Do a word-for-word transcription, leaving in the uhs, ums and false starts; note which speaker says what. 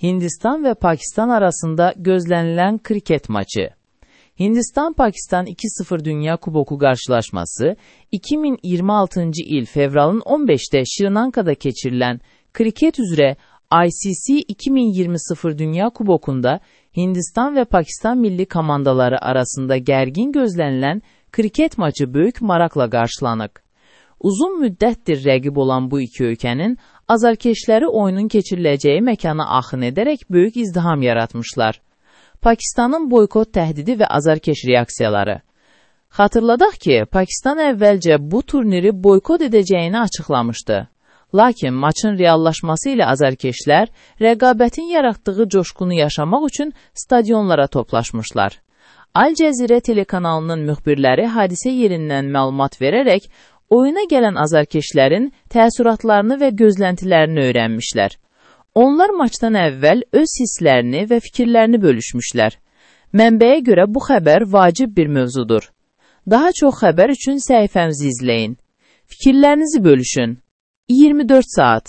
Speaker 1: Hindistan və Pakistan arasında gözlənilən kriket maçı. Hindistan-Pakistan iki sıfır Dünya Kuboku qarşılaşması iki min iyirmi altıncı il fevralın on beşdə Şri-Lankada keçirilən kriket üzrə I C C iki min iyirmi sıfır Dünya Kubokunda Hindistan və Pakistan milli komandaları arasında gərgin gözlənilən kriket maçı böyük maraqla qarşılanıb. Uzun müddətdir rəqib olan bu iki ölkənin azarkeşləri oyunun keçiriləcəyi məkana axın edərək böyük izdiham yaratmışlar. Pakistanın boykot təhdidi və azarkeş reaksiyaları. Xatırladaq ki, Pakistan əvvəlcə bu turniri boykot edəcəyini açıqlamışdı. Lakin maçın reallaşması ilə azarkeşlər rəqabətin yaratdığı coşqunu yaşamaq üçün stadionlara toplaşmışlar. Al Cəzirə telekanalının müxbirləri hadisə yerindən məlumat verərək oyuna gələn azarkeşlərin təəssüratlarını və gözləntilərini öyrənmişlər. Onlar maçdan əvvəl öz hisslərini və fikirlərini bölüşmüşlər. Mənbəyə görə bu xəbər vacib bir mövzudur. Daha çox xəbər üçün səhifəmizi izləyin. Fikirlərinizi bölüşün. iyirmi dörd saat.